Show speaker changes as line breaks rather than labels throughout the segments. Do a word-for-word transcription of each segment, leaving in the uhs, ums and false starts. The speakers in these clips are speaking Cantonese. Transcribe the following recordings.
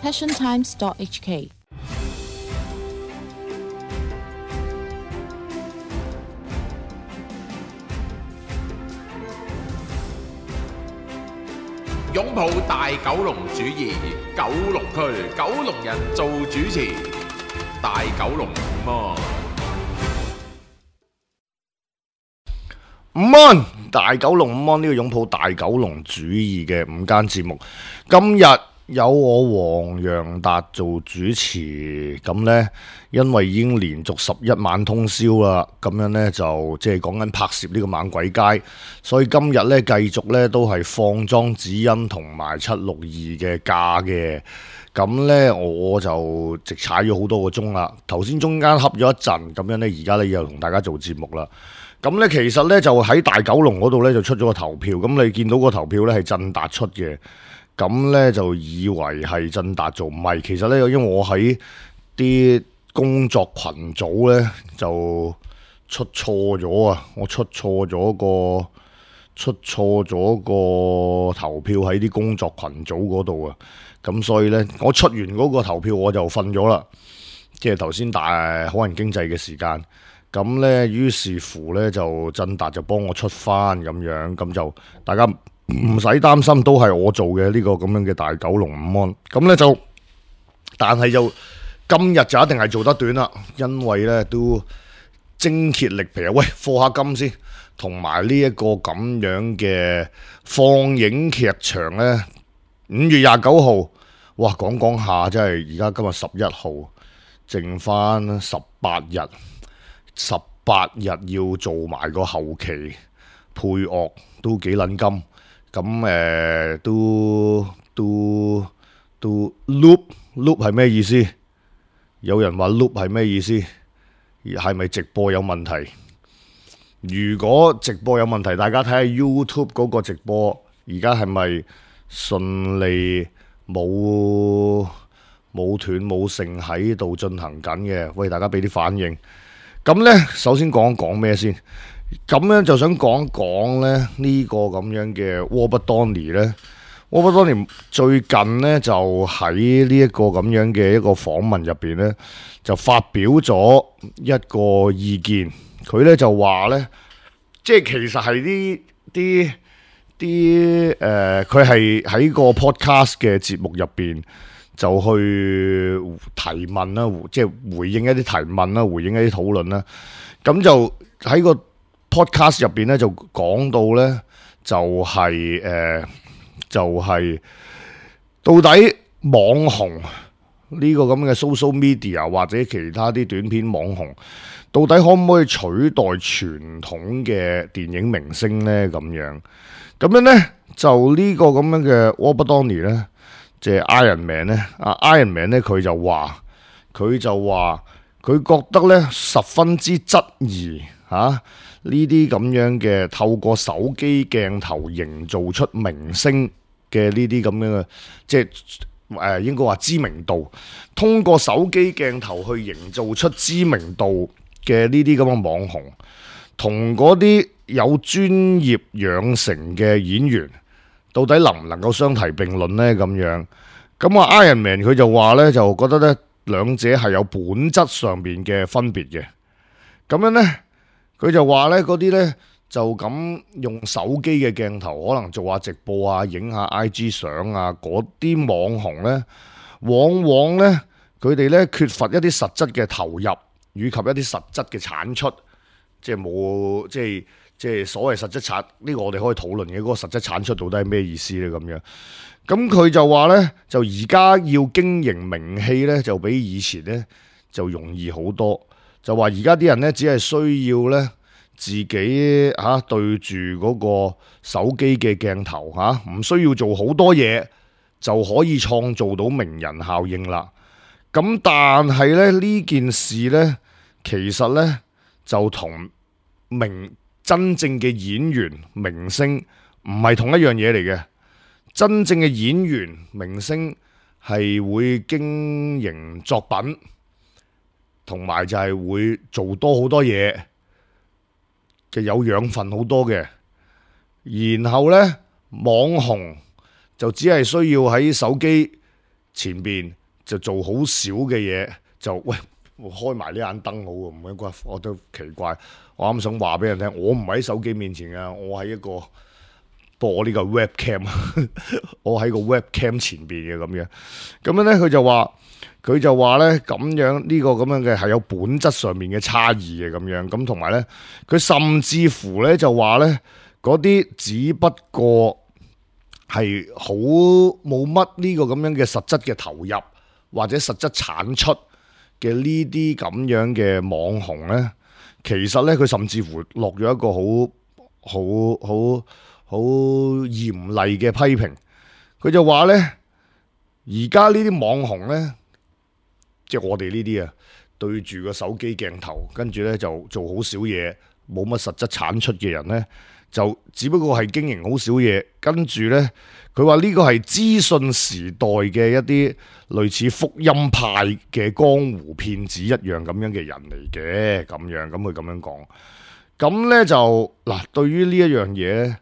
passion times dot h k。
擁抱大九龍主義，九龍區九龍人做主持，大九龍午安。
午安，大九龍午安，呢個擁抱大九龍主義嘅午間節目，今日有我黃洋達做主持。咁呢，因為已經連續十一晚通宵啦，咁樣呢，就即係講緊拍攝呢個猛鬼街，所以今日呢，繼續呢都係放莊子欣同埋七六二嘅假嘅。咁呢，我就直踩咗好多個鐘啦。頭先中間恰咗一陣，咁樣呢，而家呢又同大家做節目啦。咁呢，其實呢，就喺大九龍嗰度呢，就出咗個投票。咁你見到個投票呢係振達出嘅，咁呢，就以為係振達做，唔係。其實呢，因為我喺啲工作群組呢，就出錯咗啊！我出錯咗個出錯咗個投票喺啲工作群組嗰度啊！咁所以呢，我出完嗰個投票我就瞓咗啦，即係頭先大好人經濟嘅時間。咁呢，於是乎呢，就振達就幫我出翻咁樣，咁就大家唔使擔心，都係我做嘅呢個咁樣嘅大九龍午安。咁呢，就，但係就今日就一定係做得短啦，因為呢都精竭力疲啊！喂，課下金先，同埋呢一個咁樣嘅放映劇場呢，五月廿九號，哇，講講下真係而家今日十一號，剩翻十八日。十八日要做埋個後期配樂都幾撚金，咁誒、呃、都都都 loop loop 係咩意思？有人話 loop 係咩意思？係咪直播有問題？如果直播有問題，大家睇下 YouTube 嗰個直播，而家係咪順利冇冇斷冇剩喺度進行緊嘅？喂，大家俾啲反應。咁呢，首先講講咩先？咁呢就想講講咧呢個咁樣嘅 Robert Downey 呢 Robert Downey 最近呢，就喺呢一個咁樣嘅一個訪問入邊呢，就發表咗一個意見。佢呢就話呢，即係其實係啲啲啲誒，佢係喺個 podcast 嘅節目入邊，就去提問啦，即係回應一啲提問啦，回應一啲討論啦。咁就喺個 podcast 入邊咧，就講到咧，就係、是、誒、呃，就係、是、到底網紅呢個咁嘅 social media 或者其他啲短片網紅，到底可唔可以取代傳統嘅電影明星咧？咁樣咁樣咧，就呢個咁樣嘅 Robert Downey 咧。即係 Iron Man 咧，啊 Iron Man 咧，佢就話佢就話佢覺得咧十分之質疑嚇呢啲咁樣嘅透過手機鏡頭營造出明星嘅呢啲咁樣嘅，即係誒、呃、應該話知名度，通過手機鏡頭去營造出知名度嘅呢啲咁嘅網紅，同嗰啲有專業養成嘅演員，到底能唔能夠相提並論呢？咁樣咁啊 Iron Man 佢就話呢，就覺得呢兩者係有本質上面嘅分別嘅。咁樣呢，佢就話呢嗰啲呢，就咁用手機嘅鏡頭，可能做下直播啊，影下 I G 相啊，嗰啲網紅呢，往往呢，佢哋呢缺乏一啲實質嘅投入，以及一啲實質嘅產出，即係冇即係。即係所謂實質產呢、呢個我哋可以討論嘅嗰個實質產出到底係咩意思呢？咁樣咁佢就話呢，就而家要經營名氣呢，就比以前呢就容易好多。就話而家啲人呢，只係需要呢自己嚇、啊、對住嗰個手機嘅鏡頭嚇，唔、啊、需要做好多嘢就可以創造到名人效應啦。咁但係咧呢件事呢，其實呢就同名真正嘅演員明星唔係同一樣嘢嚟嘅。真正嘅演員明星係會經營作品，同埋就係會做多好多嘢嘅，有養分好多嘅。然後呢，網紅就只係需要喺手機前邊就做好少嘅嘢，就喂我開埋呢眼燈好喎，唔應該我都奇怪。我啱想話俾人聽，我唔喺手機面前啊，我喺一個播呢個 webcam， 我喺個 webcam 前邊嘅咁樣。咁樣咧，佢就話佢就話咧咁樣呢、呢個咁樣嘅係有本質上面嘅差異嘅咁樣。咁同埋咧，佢甚至乎咧就話咧嗰啲只不過係好冇乜呢個咁樣嘅實質嘅投入或者實質產出嘅呢啲咁樣嘅網紅咧，其實咧佢甚至乎落咗一個好好好好嚴厲嘅批評。佢就話咧，而家呢啲網紅咧，即係我哋呢啲啊，對住個手機鏡頭，跟住咧就做好少嘢，冇乜實質產出嘅人咧，就只不過係經營好少嘢，跟住呢，佢話呢個係資訊時代嘅一啲類似福音派嘅江湖騙子一樣咁樣嘅人嚟嘅，咁樣咁佢咁樣講。咁呢就嗱，對於呢一樣嘢，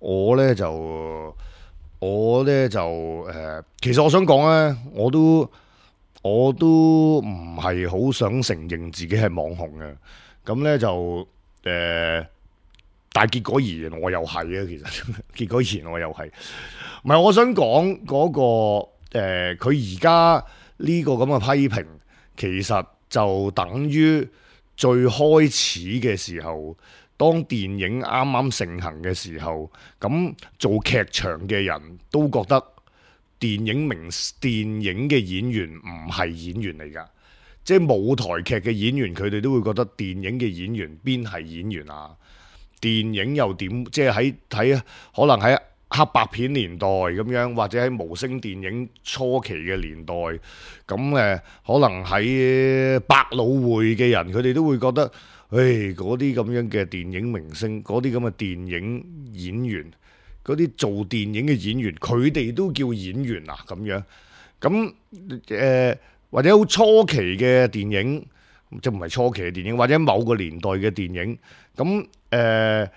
我呢就我呢就誒、呃，其實我想講呢，我都我都唔係好想承認自己係網紅嘅，咁呢就誒。呃但係結果而言，我又係啊！其實結果而言，我又係。唔係，我想講嗰、那個誒，佢而家呢個咁嘅批評，其實就等於最開始嘅時候，當電影啱啱盛行嘅時候，咁做劇場嘅人都覺得電影明電影嘅演員唔係演員嚟㗎，即係舞台劇嘅演員，佢哋都會覺得電影嘅演員邊係演員啊？電影又點？即係喺喺可能喺黑白片年代咁樣，或者喺無聲電影初期嘅年代，咁誒可能喺百老匯嘅人，佢哋都會覺得，誒嗰啲咁樣嘅電影明星，嗰啲咁嘅電影演員，嗰啲做電影嘅演員，佢哋都叫演員啊咁樣。咁誒、呃、或者好初期嘅電影。即唔係初期嘅電影，或者某個年代嘅電影，咁誒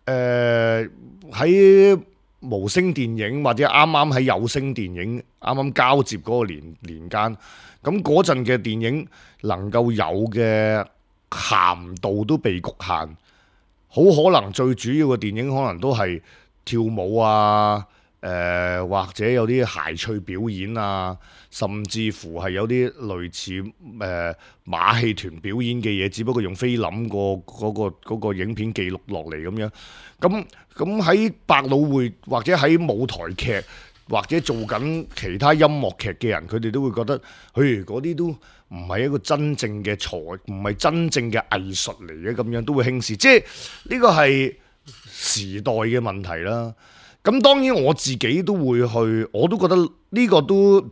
誒喺無聲電影或者啱啱喺有聲電影啱啱交接嗰個年年間，咁嗰陣嘅電影能夠有嘅鹹度都被局限，好可能最主要嘅電影可能都係跳舞啊。誒、呃、或者有啲諧趣表演啊，甚至乎係有啲類似誒、呃、馬戲團表演嘅嘢，只不過用菲林個嗰個嗰個影片記錄落嚟咁樣。咁咁喺百老匯或者喺舞台劇或者做緊其他音樂劇嘅人，佢哋都會覺得，嘿嗰啲都唔係一個真正嘅才，唔係真正嘅藝術嚟嘅，咁樣都會輕視。即係呢個係時代嘅問題啦。咁當然我自己都會去，我都覺得呢個都，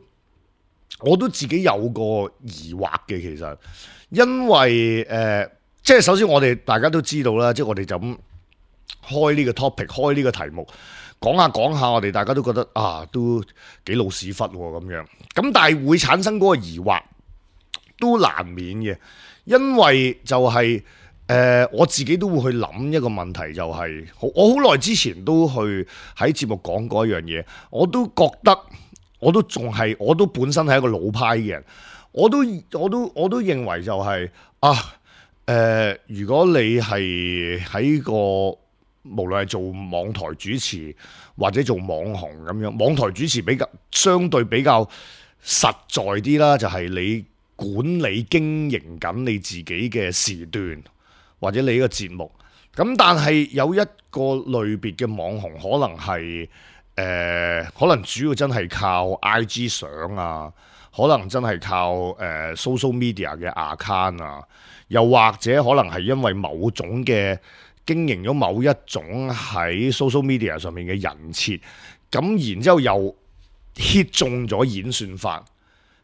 我都自己有個疑惑嘅其實，因為誒、呃，即係首先我哋大家都知道啦，即係我哋就咁開呢個 topic， 開呢個題目，講下講下，我哋大家都覺得啊，都幾老屎忽咁樣，咁但係會產生嗰個疑惑，都難免嘅，因為就係、是。誒、呃、我自己都會去諗一個問題，就係、是、我好耐之前都去喺節目講過一樣嘢，我都覺得我都仲係我都本身係一個老派嘅人，我都我都我都認為就係、是、啊誒、呃，如果你係喺個無論係做網台主持或者做網紅咁樣，網台主持比較相對比較實在啲啦，就係、是、你管理經營緊你自己嘅時段。或者你呢個節目，咁但係有一個類別嘅網紅，可能係誒、呃，可能主要真係靠 I G 相啊，可能真係靠誒、呃、social media 嘅 account 啊，又或者可能係因為某種嘅經營咗某一種喺 social media 上面嘅人設，咁然之後又 hit 中咗演算法。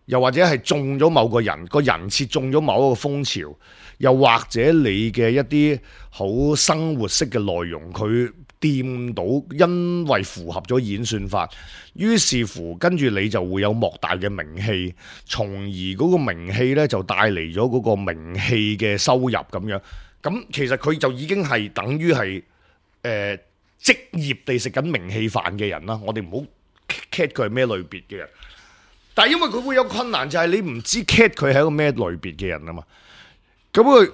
又或者係中咗某個人個人設，中咗某一個風潮，又或者你嘅一啲好生活式嘅內容，佢掂到，因為符合咗演算法，於是乎跟住你就會有莫大嘅名氣，從而嗰個名氣呢就帶嚟咗嗰個名氣嘅收入咁樣。咁其實佢就已經係等於係誒職業地食緊名氣飯嘅人啦。我哋唔好 cat 佢係咩類別嘅人。但係因為佢會有困難，就係、是、你唔知 Cat 佢係一個咩類別嘅人啊嘛。咁佢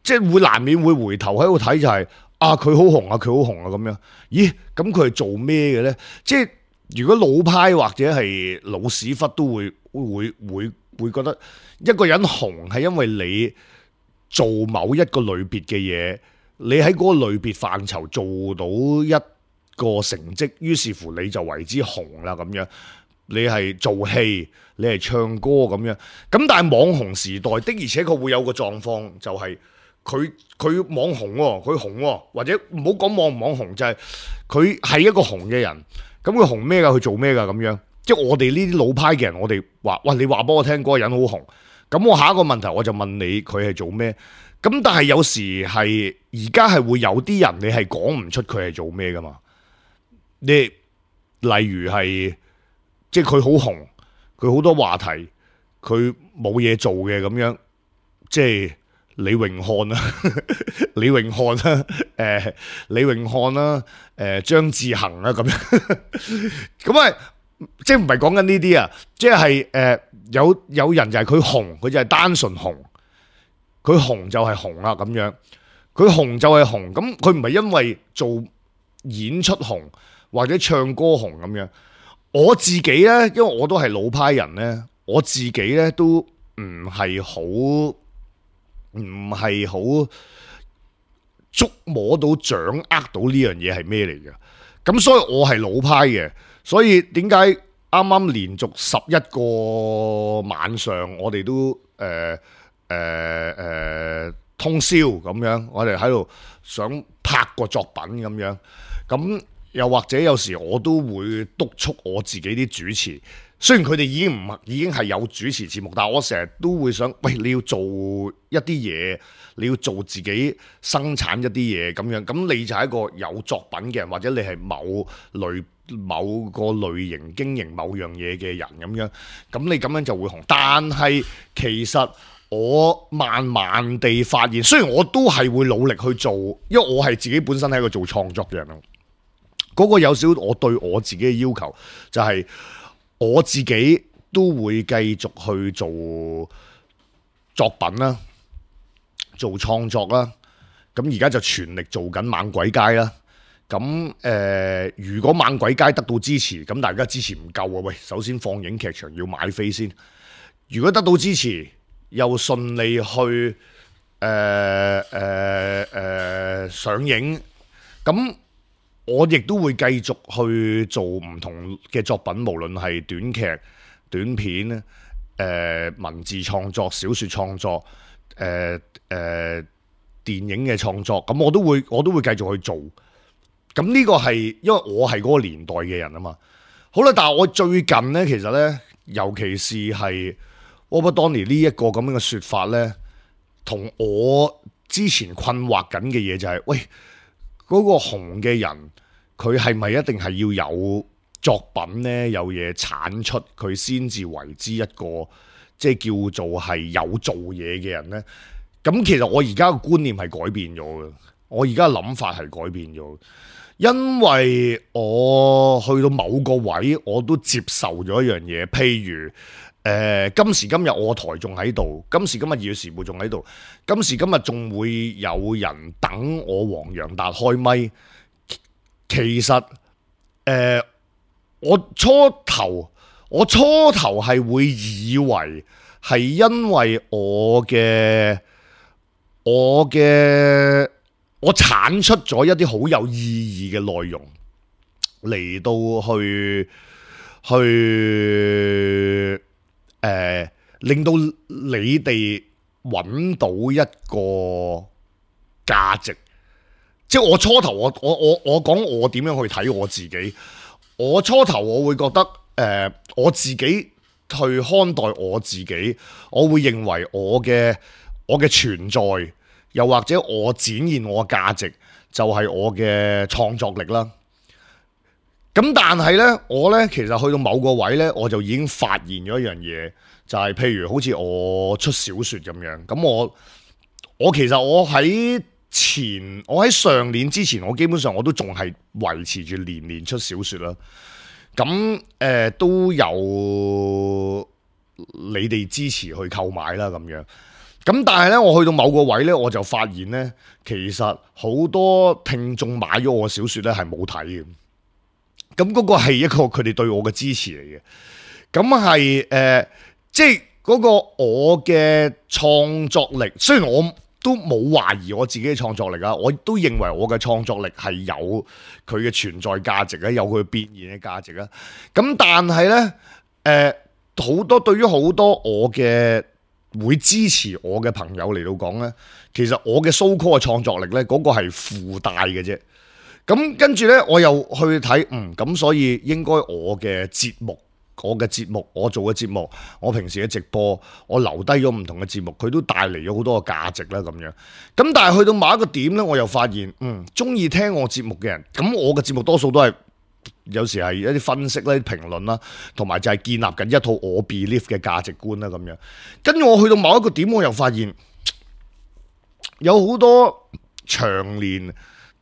即係會難免會回頭喺度睇，就係、是、啊佢好紅啊，佢好紅啊咁樣。咦？咁佢係做咩嘅咧？即係如果老派或者係老屎忽都會會會會覺得一個人紅係因為你做某一個類別嘅嘢，你喺嗰個類別範疇做到一個成績，於是乎你就為之紅啦咁樣。你係做戲，你係唱歌咁樣。咁但係網紅時代的而且確會有個狀況，就係佢佢網紅喎，佢紅喎，或者唔好講網唔網紅，就係佢係一個紅嘅人。咁佢紅咩㗎？佢做咩㗎？咁樣，即係我哋呢啲老派嘅人，我哋話：喂，你話俾我聽，嗰個人好紅。咁我下一個問題我就問你，佢係做咩？咁但係有時係而家係會有啲人，你係講唔出佢係做咩㗎嘛？你例如係即係佢好紅，佢好多話題，佢冇嘢做嘅咁樣，即係李榮漢啦，李榮漢啦，誒、呃，李榮漢啦，誒、呃，張志恒啦咁樣，咁啊，即係唔係講緊呢啲啊，即係誒、呃，有有人就係佢紅，佢就係單純紅，佢紅就係紅啦咁樣，佢紅就係紅，咁佢唔係因為做演出紅或者唱歌紅咁樣。我自己咧，因為我都係老派人咧，我自己咧都唔係好，唔係好捉摸到、掌握到呢樣嘢係咩嚟嘅。咁所以我係老派嘅，所以點解啱啱連續十一個晚上，我哋都誒誒誒通宵咁樣，我哋喺度想拍個作品咁樣，咁。又或者有時我都會督促我自己啲主持，雖然佢哋已經唔已經係有主持節目，但係我成日都會想，喂，你要做一啲嘢，你要做自己生產一啲嘢咁樣，咁你就係一個有作品嘅人，或者你係某類某個類型經營某樣嘢嘅人咁樣，咁你咁樣就會紅。但係其實我慢慢地發現，雖然我都係會努力去做，因為我係自己本身係一個做創作嘅人。嗰個有少我對我自己嘅要求，就係、是、我自己都會繼續去做作品啦，做創作啦。咁而家就全力做緊猛鬼街啦。咁誒、呃，如果猛鬼街得到支持，咁大家支持唔夠啊！喂，首先放映劇場要買飛先。如果得到支持，又順利去誒誒誒上映，咁。我亦都會繼續去做唔同嘅作品，無論係短劇、短片、誒、呃、文字創作、小說創作、誒、呃、誒、呃、電影嘅創作，咁我都會我都會繼續去做。咁呢個係因為我係嗰個年代嘅人啊嘛。好啦，但係我最近呢，其實呢，尤其是係 Robert Downey 呢一個咁樣嘅說法呢，同我之前困惑緊嘅嘢就係、是，喂。嗰個紅嘅人，佢係咪一定係要有作品呢？有嘢產出，佢先至為之一個即係叫做係有做嘢嘅人呢？咁其實我而家嘅觀念係改變咗嘅，我而家嘅諗法係改變咗，因為我去到某個位，我都接受咗一樣嘢，譬如。誒、呃、今時今日我台仲喺度，今時今日《二月時報》仲喺度，今時今日仲會有人等我黃洋達開咪。其實誒、呃，我初頭我初頭係會以為係因為我嘅我嘅我產出咗一啲好有意義嘅內容嚟到去去。誒、呃，令到你哋揾到一個價值，即係我初頭我我我我講我點樣去睇我自己，我初頭我會覺得誒、呃，我自己去看待我自己，我會認為我嘅我嘅存在，又或者我展現我嘅價值，就係我嘅創作力啦。咁但係呢，我呢其實去到某個位呢，我就已經發現咗一樣嘢，就係、是、譬如好似我出小說咁樣。咁我我其實我喺前，我喺上年之前，我基本上我都仲係維持住年年出小說啦。咁誒、呃、都有你哋支持去購買啦咁樣。咁但係咧，我去到某個位咧，我就發現咧，其實好多聽眾買咗我小説咧係冇睇嘅。咁嗰個係一個佢哋對我嘅支持嚟嘅。咁係誒，即係嗰個我嘅創作力，雖然我都冇懷疑我自己嘅創作力啊，我都認為我嘅創作力係有佢嘅存在價值啊，有佢變現嘅價值啊。咁但係咧，誒、呃、好多對於好多我嘅會支持我嘅朋友嚟到講咧，其實我嘅 so call 嘅創作力咧，嗰、那個係附帶嘅啫。咁跟住咧，我又去睇，嗯，咁所以應該我嘅節目。我嘅節目，我做嘅節目，我平時嘅直播，我留低咗唔同嘅節目，佢都帶嚟咗好多嘅價值啦咁樣。咁但係去到某一個點咧，我又發現，嗯，中意聽我節目嘅人，咁我嘅節目多數都係有時係一啲分析啦、評論啦，同埋就係建立緊一套我 believe 嘅價值觀啦咁樣。跟住我去到某一個點，我又發現有好多長年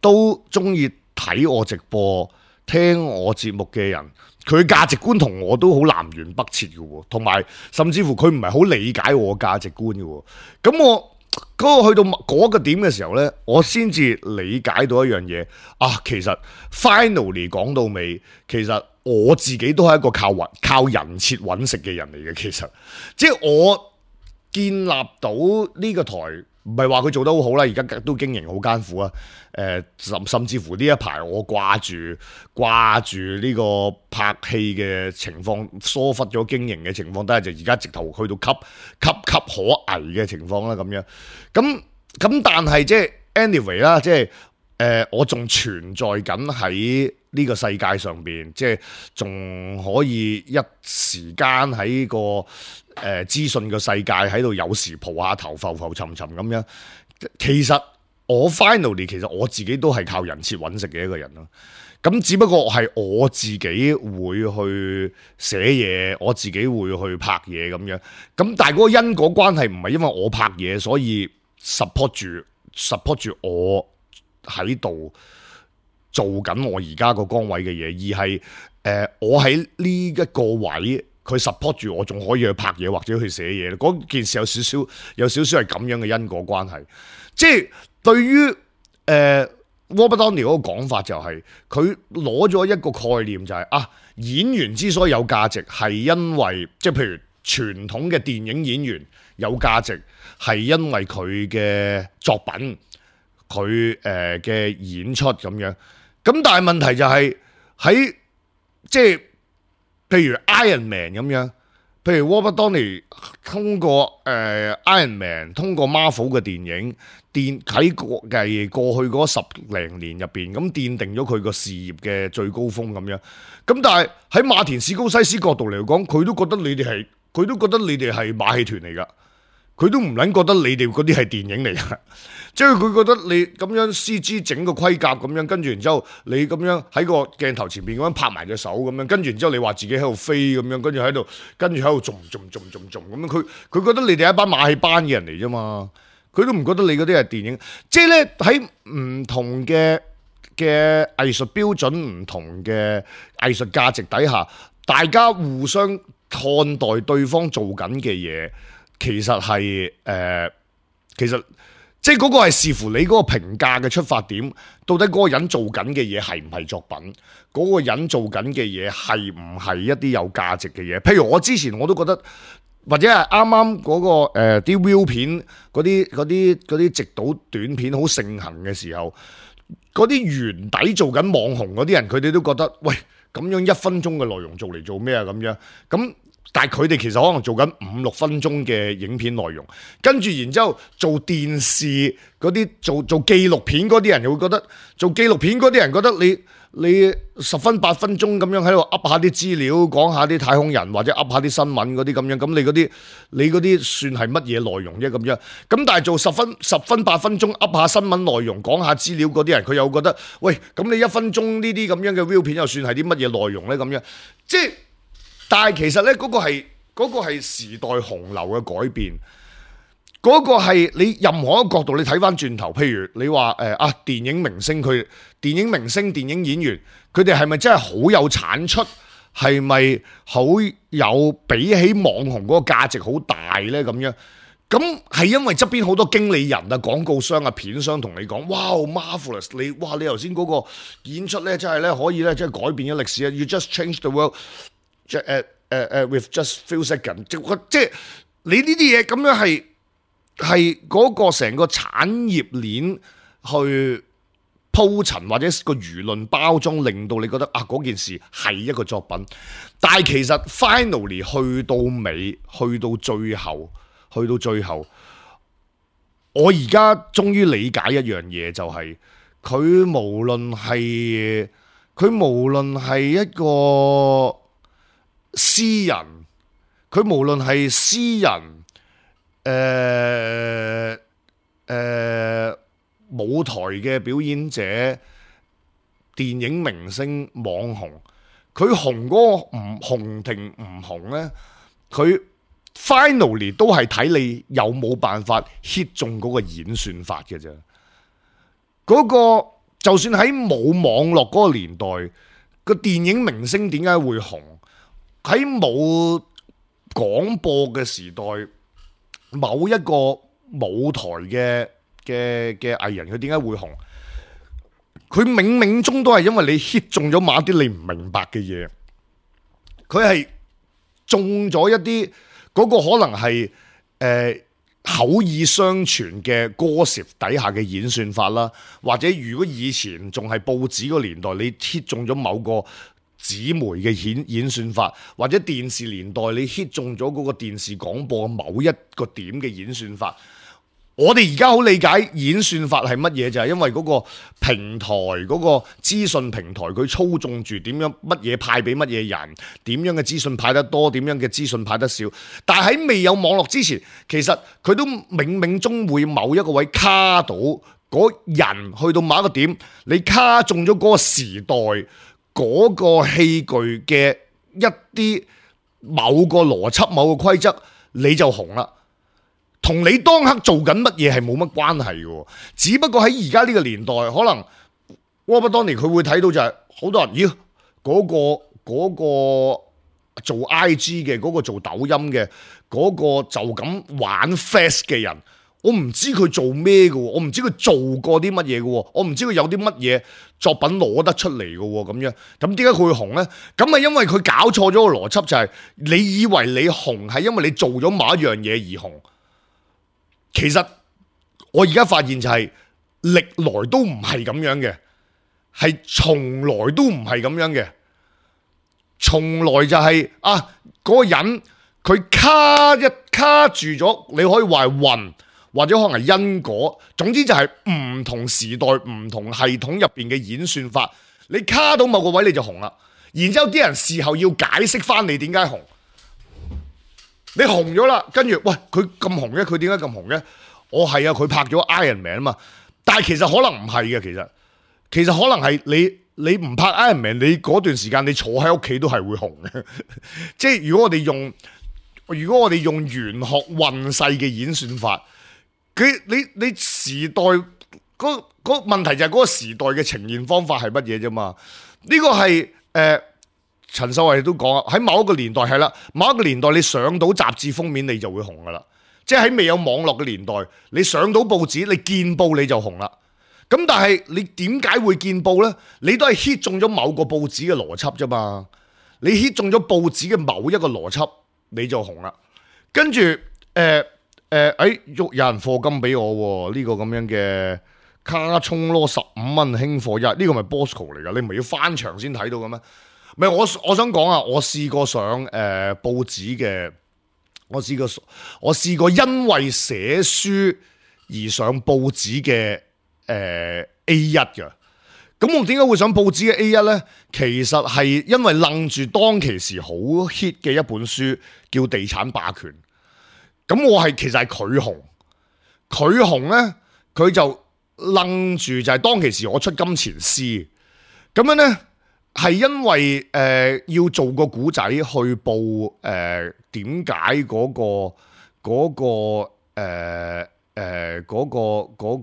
都中意睇我直播、聽我節目嘅人。佢價值觀同我都好南轅北轍嘅喎，同埋甚至乎佢唔係好理解我價值觀嘅喎。咁我嗰個去到嗰個點嘅時候呢，我先至理解到一樣嘢啊，其實 finally 講到尾，其實我自己都係一個靠揾靠人設揾食嘅人嚟嘅。其實即係我建立到呢個台。唔係話佢做得好好啦，而家都經營好艱苦啊！誒、呃，甚甚至乎呢一排我掛住掛住呢個拍戲嘅情況，疏忽咗經營嘅情況，都係就而家直頭去到岌岌岌可危嘅情況啦咁樣。咁咁但係即係 anyway 啦，即係誒我仲存在緊喺呢個世界上邊，即係仲可以一時間喺個。誒、呃、資訊嘅世界喺度有時蒲下頭浮浮沉沉咁樣，其實我 finally 其實我自己都係靠人設揾食嘅一個人咯。咁只不過係我自己會去寫嘢，我自己會去拍嘢咁樣。咁但係嗰個因果關係唔係因為我拍嘢所以 support 住 support 住我喺度做緊我而家個崗位嘅嘢，而係誒、呃、我喺呢一個位。佢 support 住我，仲可以去拍嘢或者去寫嘢。嗰件事有少少有少少係咁樣嘅因果關係。即係對於誒 Robert Downey 嗰個講法就係佢攞咗一個概念就係、是、啊演員之所以有價值係因為即係譬如傳統嘅電影演員有價值係因為佢嘅作品佢誒嘅演出咁樣。咁但係問題就係喺即係。譬如 Iron Man 咁樣，譬如 Robert Downey 通過誒、呃、Iron Man 通過 Marvel 嘅電影，奠喺過繼過去嗰十零年入邊，咁奠定咗佢個事業嘅最高峰咁樣。咁但係喺馬田史高西斯角度嚟講，佢都覺得你哋係，佢都覺得你哋係馬戲團嚟噶，佢都唔撚覺得你哋嗰啲係電影嚟噶。即係佢覺得你咁樣 C G 整個盔甲咁樣，跟住然之後你咁樣喺個鏡頭前邊咁樣拍埋隻手咁樣，跟住然之後你話自己喺度飛咁樣，跟住喺度跟住喺度仲仲仲仲仲咁樣，佢佢覺得你哋係一班馬戲班嘅人嚟啫嘛，佢都唔覺得你嗰啲係電影。即係咧喺唔同嘅嘅藝術標準、唔同嘅藝術價值底下，大家互相看待對方做緊嘅嘢，其實係誒、呃，其實。即係嗰個係視乎你嗰個評價嘅出發點，到底嗰個人做緊嘅嘢係唔係作品？嗰、嗰個人做緊嘅嘢係唔係一啲有價值嘅嘢？譬如我之前我都覺得，或者係啱啱嗰個誒啲、呃、view 片嗰啲嗰啲嗰啲直島短片好盛行嘅時候，嗰啲原底做緊網紅嗰啲人，佢哋都覺得喂，咁樣一分鐘嘅內容做嚟做咩啊？咁樣咁。但係佢哋其實可能做緊五六分鐘嘅影片內容，跟住然之後做電視嗰啲做做紀錄片嗰啲人又會覺得，做紀錄片嗰啲人覺得你你十分八分鐘咁樣喺度噏下啲資料，講下啲太空人或者噏下啲新聞嗰啲咁樣，咁你嗰啲你嗰啲算係乜嘢內容啫咁樣？咁但係做十分十分八分鐘噏下新聞內容，講下資料嗰啲人，佢又覺得喂，咁你一分鐘呢啲咁樣嘅 view 片又算係啲乜嘢內容咧？咁樣即係。但係其實咧，嗰個係嗰個係時代洪流嘅改變，嗰個係你任何一個角度，你睇翻轉頭，譬如你話誒啊，電影明星佢電影明星、電影演員，佢哋係咪真係好有產出，係咪好有比起網紅嗰個價值好大呢？咁樣咁係因為側邊好多經理人啊、廣告商啊、片商同你講，哇 marvelous！ 你哇你頭先嗰個演出呢，真係呢，可以呢，即係改變咗歷史啊 ！You just changed the world， 誒誒誒 with just few seconds， 即係你呢啲嘢咁樣係係嗰個成個產業鏈去鋪陳或者個輿論包裝，令到你覺得啊嗰件事係一個作品，但係其實 finally 去到尾，去到最後，去到最後，我而家終於理解一樣嘢，就係佢無論係佢無論係一個詩人，佢無論係詩人，誒、呃、誒。呃舞台嘅表演者、電影明星、網紅，佢紅嗰個唔紅定唔紅呢？佢 finally 都係睇你有冇辦法 hit 中嗰個演算法嘅啫。嗰個就算喺冇網絡嗰個年代，個電影明星點解會紅？喺冇廣播嘅時代，某一個舞台嘅嘅嘅藝人佢點解會紅？佢冥冥中都係因為你 hit 中咗某一啲你唔明白嘅嘢，佢係中咗一啲嗰個可能係誒、呃、口耳相傳嘅歌詞底下嘅演算法啦，或者如果以前仲係報紙個年代，你 hit 中咗某個紙媒嘅演演算法，或者電視年代你 hit 中咗嗰個電視廣播某一個點嘅演算法。我哋而家好理解演算法係乜嘢，就係因為嗰個平台嗰個資訊平台佢操縱住點樣乜嘢派俾乜嘢人，點樣嘅資訊派得多，點樣嘅資訊派得少。但係喺未有網絡之前，其實佢都冥冥中會某一個位卡到嗰人去到某一個點，你卡中咗嗰個時代嗰個器具嘅一啲某個邏輯、某個規則，你就紅啦。同你當刻做緊乜嘢係冇乜關係嘅，只不過喺而家呢個年代，可能 Robert Downey 佢會睇到就係、是、好多人，咦嗰、那個嗰、那個做 I G 嘅，嗰、那個做抖音嘅，嗰、那個就咁玩 fast 嘅人，我唔知佢做咩嘅，我唔知佢做過啲乜嘢嘅，我唔知佢有啲乜嘢作品攞得出嚟嘅咁樣，咁點解佢會紅呢？咁係因為佢搞錯咗個邏輯，就係、是、你以為你紅係因為你做咗某一樣嘢而紅。其實我而家發現就係歷來都唔係咁樣嘅，係從來都唔係咁樣嘅，從來就係、是、啊嗰、那個人佢卡一卡住咗，你可以話係運，或者可能係因果，總之就係唔同時代、唔同系統入邊嘅演算法，你卡到某個位你就紅啦，然之後啲人事後要解釋翻你點解紅。你紅咗啦，跟住喂佢咁紅嘅，佢點解咁紅嘅？我係啊，佢拍咗 Iron Man 啊嘛，但係其實可能唔係嘅，其實其實可能係你你唔拍 Iron Man， 你嗰段時間你坐喺屋企都係會紅嘅。即係如果我哋用如果我哋用玄學運勢嘅演算法，佢你你時代嗰嗰、嗰個問題就係嗰個時代嘅呈現方法係乜嘢啫嘛？呢、呢個係誒。呃陳秀慧都講啊，喺某一個年代係啦，某一個年代你上到雜誌封面你就會紅噶啦，即係喺未有網絡嘅年代，你上到報紙，你見報你就紅啦。咁但係你點解會見報呢？你都係 hit 中咗某個報紙嘅邏輯啫嘛，你 hit 中咗報紙嘅某一個邏輯你就紅啦。跟住誒誒，誒，有人課金俾我呢、呢個咁樣嘅卡充咯，十五蚊輕貨一，呢、呢個咪 Bosco 嚟噶？你唔係要翻牆先睇到嘅咩？唔係，我我想講啊，我試過上誒、呃、報紙嘅，我試過我試過因為寫書而上報紙嘅誒、呃、A 一嘅。咁我點解會上報紙嘅 A 一呢？其實係因為楞住當其時好 hit 嘅一本書叫《地產霸權》。咁我係其實係佢紅，佢紅呢，佢就楞住就係當其時我出金錢詩咁樣呢。係因為誒、呃、要做個古仔去報誒點解嗰個嗰、嗰個誒誒嗰個嗰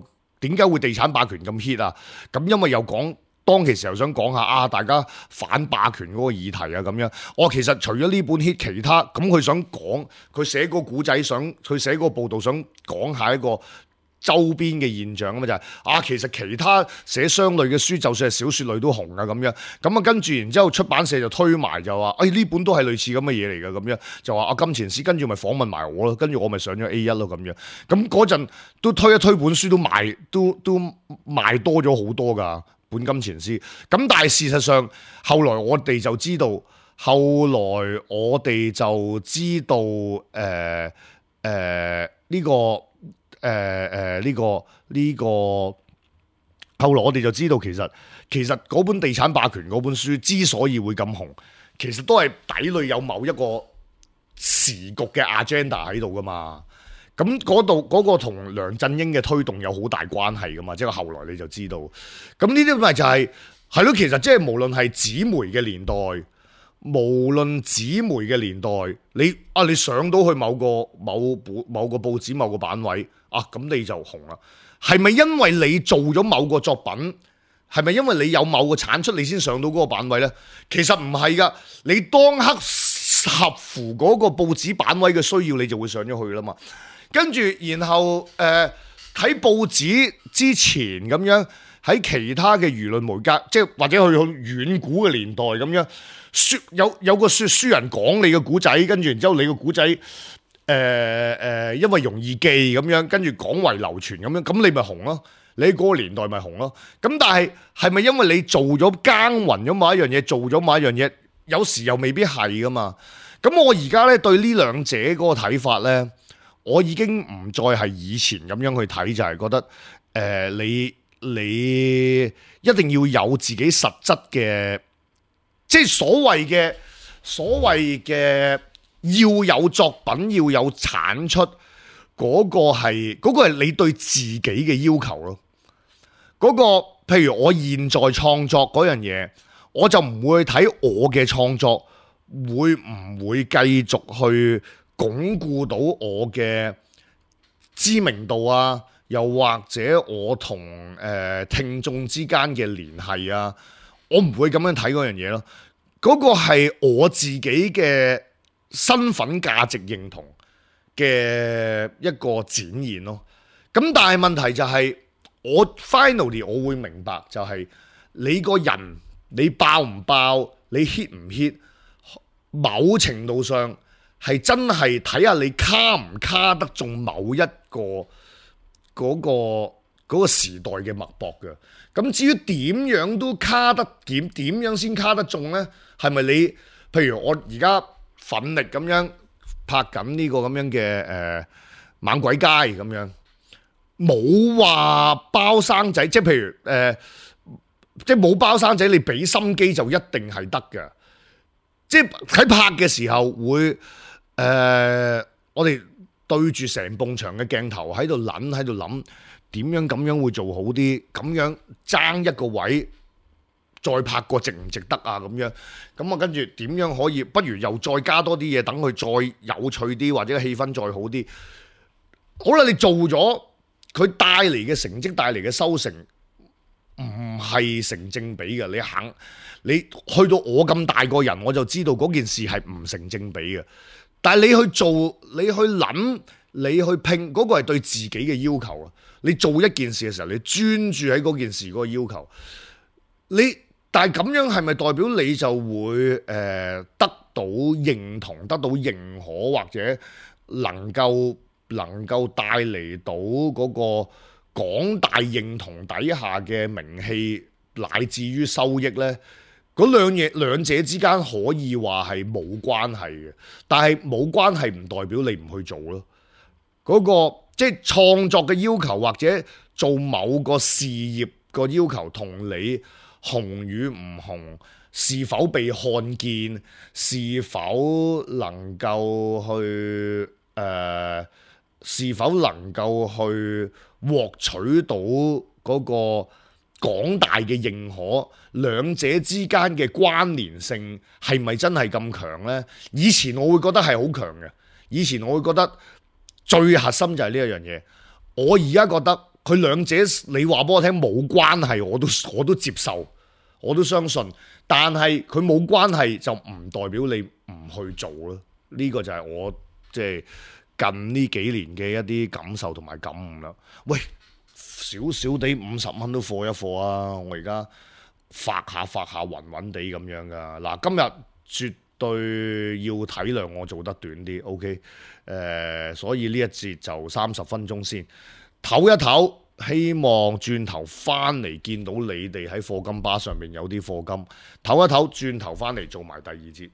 個點解會地產霸權咁 hit 啊？咁因為又講當其時又想講下啊，大家反霸權嗰個議題啊咁樣。我其實除咗呢本 hit，其他咁佢想講，佢寫個古仔想，佢寫個報道想講下一個周邊嘅現象啊嘛，就係、是、啊，其實其他寫相類嘅書，就算係小説類都紅啊咁樣。咁啊跟住然之後出版社就推埋就話，誒呢本都係類似咁嘅嘢嚟㗎咁樣，就話啊金錢師，跟住咪訪問埋我咯，跟住我咪上咗 A 一咯咁樣。咁嗰陣都推一推本書都賣都都賣多咗好多㗎本金錢師。咁但係事實上後來我哋就知道，後來我哋就知道誒誒呢個。誒誒呢個呢、這個，後來我哋就知道其實其實嗰本地產霸權嗰本書之所以會咁紅，其實都係底裏有某一個時局嘅 agenda 喺度噶嘛。咁嗰度嗰個同梁振英嘅推動有好大關係噶嘛，即係後來你就知道。咁呢啲咪就係係咯，其實即係無論係紙媒嘅年代。無論紙媒嘅年代，你啊你上到去某個某本某個報紙某個版位啊，咁你就紅啦。係咪因為你做咗某個作品？係咪因為你有某個產出，你先上到嗰個版位呢？其實唔係噶，你當刻合乎嗰個報紙版位嘅需要，你就會上咗去啦嘛。跟住然後誒喺、呃、報紙之前咁樣，喺其他嘅輿論媒介，即係或者去到遠古嘅年代咁樣。說有有個說書人講你嘅古仔，跟住然之後你個古仔誒誒，因為容易記咁樣，跟住廣為流傳咁樣，咁你咪紅咯。你喺嗰個年代咪紅咯。咁但係係咪因為你做咗耕耘咗某一樣嘢，做咗某一樣嘢，有時又未必係噶嘛。咁我而家咧對呢兩者嗰個睇法咧，我已經唔再係以前咁樣去睇，就係、是、覺得誒、呃、你你一定要有自己實質嘅。即係所謂嘅所謂嘅要有作品，要有產出，嗰個係嗰個係你對自己嘅要求咯。嗰個譬如我現在創作嗰樣嘢，我就唔會睇我嘅創作會唔會繼續去鞏固到我嘅知名度啊，又或者我同誒聽眾之間嘅聯繫啊。我唔會咁樣睇嗰樣嘢咯，嗰個係我自己嘅身份價值認同嘅一個展現咯。咁但係問題就係，我 finally 我會明白就係你個人你爆唔爆，你 hit 唔 hit，某程度上係真係睇下你卡唔卡得中某一個嗰個嗰個時代嘅脈搏嘅。咁至於點樣都卡得點點樣先卡得中呢？係咪你譬如我而家奮力咁樣拍緊呢個咁樣嘅誒、呃、猛鬼街咁樣，冇話包生仔，即係譬如誒、呃，即係冇包生仔，你俾心機就一定係得嘅。即係喺拍嘅時候會誒、呃，我哋對住成埲牆嘅鏡頭喺度諗喺度諗。點樣咁樣會做好啲？咁樣爭一個位，再拍過值唔值得啊？咁樣咁啊，跟住點樣可以？不如又再加多啲嘢，等佢再有趣啲，或者氣氛再好啲。好啦，你做咗，佢帶嚟嘅成績，帶嚟嘅收成，唔係成正比嘅。你肯，你去到我咁大個人，我就知道嗰件事係唔成正比嘅。但係你去做，你去諗，你去拼，嗰個係對自己嘅要求啊！你做一件事嘅時候，你專注喺嗰件事嗰個要求，你但係咁樣係咪代表你就會誒、呃、得到認同、得到認可，或者能夠能夠帶嚟到嗰個廣大認同底下嘅名氣乃至於收益呢？嗰兩嘢兩者之間可以話係冇關係嘅，但係冇關係唔代表你唔去做咯。嗰、嗰個即係創作嘅要求，或者做某個事業個要求，同你紅與唔紅，是否被看見，是否能夠去誒、呃，是否能夠去獲取到嗰個廣大嘅認可，兩者之間嘅關聯性係咪真係咁強呢？以前我會覺得係好強嘅，以前我會覺得。最核心就係呢一樣嘢，我而家覺得佢兩者你話俾我聽冇關係，我都我都接受，我都相信。但係佢冇關係就唔代表你唔去做咯。呢個就係我即係近呢幾年嘅一啲感受同埋感悟啦。喂，少少地五十蚊都貨一貨啊！我而家發下發下暈暈地咁樣噶。嗱，今日絕對要體諒我做得短啲 ，OK？ 誒、呃，所以呢一節就三十分鐘先唞一唞。希望轉頭翻嚟見到你哋喺課金巴上面有啲課金，唞一唞，轉頭翻嚟做埋第二節。